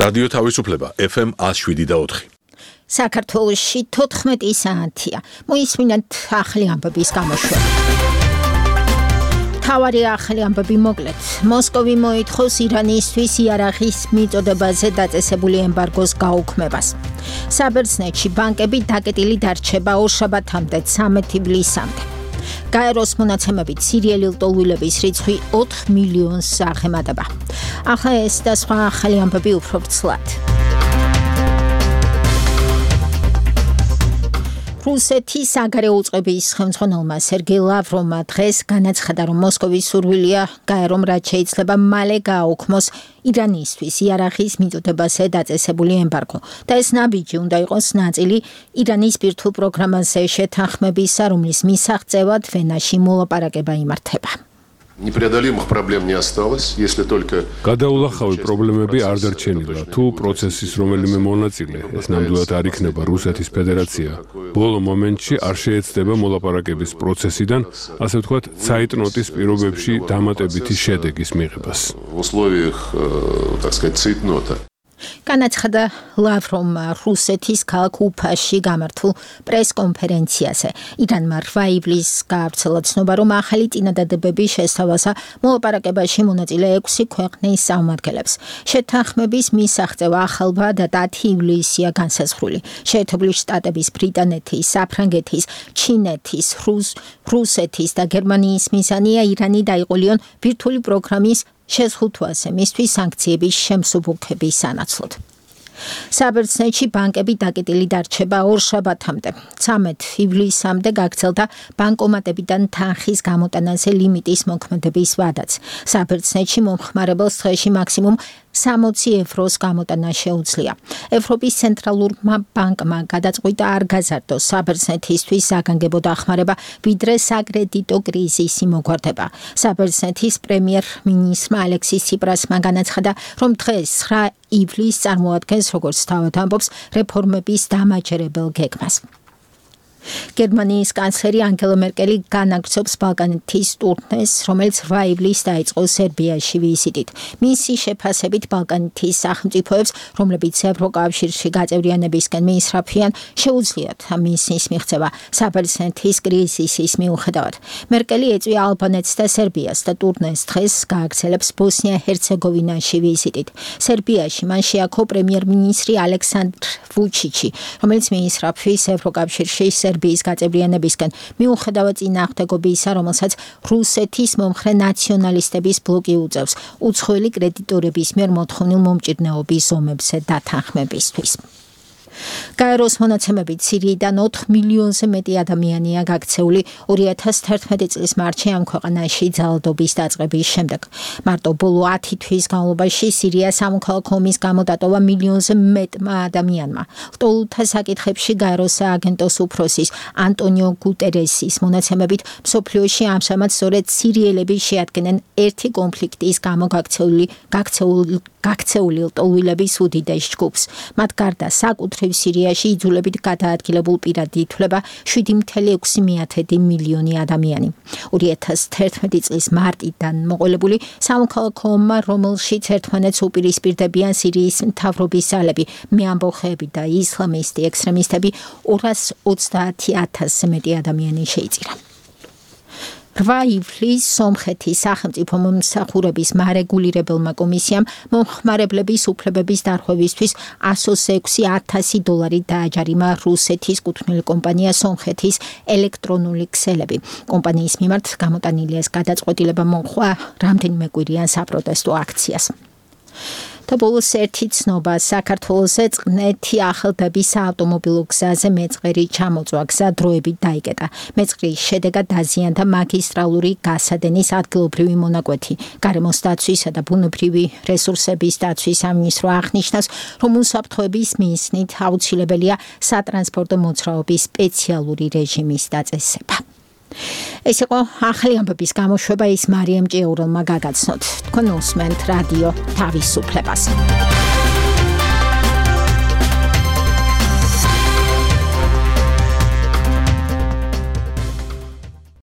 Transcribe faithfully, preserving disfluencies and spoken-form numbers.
რადიო თავისუფლება ეფ ემ one oh seven და four. საქართველოში თოთხმეტი საათია. მოისმინეთ ახალი ამბების გამოშვება. თავარი ახალი ამბები მოკლედ. მოსკოვი მოითხოვს ირანისთვის იარაღის მიწოდებაზე დაწესებული ემბარგოს გაუქმებას. საბერძნეთში ბანკები დაკეტილი დარჩება ორშაბათამდე ცამეტი ივლისამდე. გაეროს მონაცემებით სირიელი ლტოლვილების რიცხვი ოთხ მილიონს აღემატება. ახლა ეს და სხვა ახალი ამბები უფრო ვრცლად. რუსეთის საგარეო უწყების ხელმძღვანელმა სერგეი ლავროვმა დღეს განაცხადა, რომ მოსკოვის სურვილია გაერომ რაც შეიძლება მალე გააუქმოს ირანისთვის იარაღის მიწოდებაზე დაწესებული ემბარგო და ეს ნაბიჯი უნდა იყოს ნაწილი ირანის ბირთვულ პროგრამაზე შეთანხმებისა, რომლის მისაღწევად ვენაში მოლაპარაკება იმართება. Непреодолимых проблем не осталось, если только გადაულახავი პრობლემები არ დარჩენილა, თუ პროცესის რომელიმე მონაწილე, ეს ნამდვილად არ იქნება რუსეთის ფედერაცია. ბოლო მომენტში არ შეეცდება მოლაპარაკების პროცესიდან, ასე ვთქვათ, цейтнотის პირობებში დამატებითი შედეგის მიღებას. В условиях, так сказать, цейтнота. განაცხადა ლავროვმა რუსეთის ქალაქ უფაში გამართულ პრესკონფერენციაზე. ირანმა რვა ივლისს გაავრცელა ცნობა, რომ ახალი წინადადებების შესთავაზა მოლაპარაკებაში მონაწილე ექვსი ქვეყნის წარმომადგენლებს. შეთანხმების მისაღწევა ახალვა და დათი ივლისია განსაზღვრული. შეერთებული შტატების, ბრიტანეთის, საფრანგეთის, ჩინეთის, რუსეთის და გერმანიის მიზანია ირანი დაიყოლიონ ბირთვული პროგრამის შეზღუდვაზე მისთვის სანქციების შემსუბუქების სანაცვლოდ. საბერძნეთში ბანკები დაკეტილი დარჩება ორშაბათამდე. ცამეტ ივლისამდე გაგრძელდა ბანკომატებიდან თანხის გამოტანაზე ლიმიტის მოქმედების ვადაც. საბერძნეთში მომხმარებელს დღეში მაქსიმუმ სამოცი ევროს გამოტანა შეუძლია. ევროპის ცენტრალურმა ბანკმა გადაწყვიტა არ გაზარდოს საბერძნეთისთვის საგანგებო დახმარება, ვიდრე საკრედიტო კრიზისი მოგვარდება. საბერძნეთის პრემიერ-მინისტრმა ალექსის ციპრასმა განაცხადა, რომ დღეს ცხრა ივლისს წარმოადგენს, როგორც თავად ამბობს, რეფორმების დამაჯერებელ გეგმას. გერმანიის კანცლერი ანგელა მერკელი განაგრძობს ბალკანეთის ტურნეს, რომელიც რვა ივლისს დაიწყო სერბიაში ვიზიტით. მისი შეფასებით ბალკანეთის სახელმწიფოებს, რომლებიც ევროკავშირში გაწევრიანებისკენ მიისწრაფიან, შეუძლიათ მისის მიღწევა საბერძნეთის კრიზისის მიუხედავად. მერკელი ეწვია ალბანეთს და სერბიას და ტურნეს დღეს გააგრძელებს ბოსნია-ჰერცეგოვინაში ვიზიტით. სერბიაში მან შეაქო პრემიერ-მინისტრი ალექსანდრ ვუჩიჩი, რომელიც მიისწრაფვის ევროკავშირში სერბიის გაწევრიანებისკენ მიუხედავად წინააღმდეგობისა, რომელსაც რუსეთის მომხრე ნაციონალისტების ბლოკი უწევს უცხოელი კრედიტორების მიერ მოთხოვნილ მომჭირნეობის ზომებზე დათანხმებისთვის. გაეროს მონაცემებით სირიიდან ოთხ მილიონზე მეტი ადამიანია გაქცეული ორი ათას თერთმეტი წლის მარტში ამ ქვეყანაში ძალადობის დაწყების შემდეგ. მარტო ბოლო ათი თვის განმავლობაში სირიას სამოქალაქო ომის გამო დატოვა მილიონზე მეტმა ადამიანმა. ლტოლვილთა საკითხებში გაეროს სააგენტოს უფროსის ანტონიო გუტერესის მონაცემებით მსოფლიოში ამჟამად სწორედ სირიელები შეადგენენ ერთი კონფლიქტის გამო გაქცეული გაქცეული გაქცეული ლტოლვილების უდიდეს ჯგუფს. მათ გარდა საკუთრივ სირიაში იძულებით გადაადგილებულ პირად ითვლება შვიდი მცდარი ექვსი მილიონი ადამიანი. ორი ათას თერთმეტი წლის მარტიდან მოყოლებული სამოქალაქო ომმა, რომელშიც ერთმანეთს უპირისპირდებიან სირიის მთავრობის ძალები, მეამბოხეები და ისლამისტი ექსტრემისტები, ორას ოცდაათი ათასზე მეტი ადამიანი შეიწირა. რვა ივლისს სომხეთის სახელმწიფო მომსახურების მარეგულირებელმა კომისიამ მომხმარებლების უფლებების დარღვევისთვის ას ექვსი ათასი დოლარი დააჯარიმა რუსეთის კუთვნილი კომპანია სომხეთის ელექტრონული ქსელები. კომპანიის მიმართ გამოტანილი ეს გადაწყვეტილება მოჰყვა რამდენიმე კვირიან საპროტესტო აქციას. და ბოლოს ერთი ცნობა საქართველოზე წყნეთი ახალდაბის საავტომობილო გზაზე მეწყერი ჩამოწვა გზა დროებით დაიკეტა. მეწყრის შედეგად დაზიანდა მაგისტრალური გასადენის ადგილობრივი მონაკვეთი. გარემოს დაცვისა და ბუნებრივი რესურსების დაცვის სამინისტრო აღნიშნავს, რომ უსაფრთხოების მიზნით აუცილებელია სატრანსპორტო მოძრაობის სპეციალური რეჟიმის დაწესება. ეს იყო ახალი ამბების გამოშვება, ის მარიამ ჭიაურელმა გაგაცნოთ. თქვენ უსმენთ რადიო თავისუფლებას.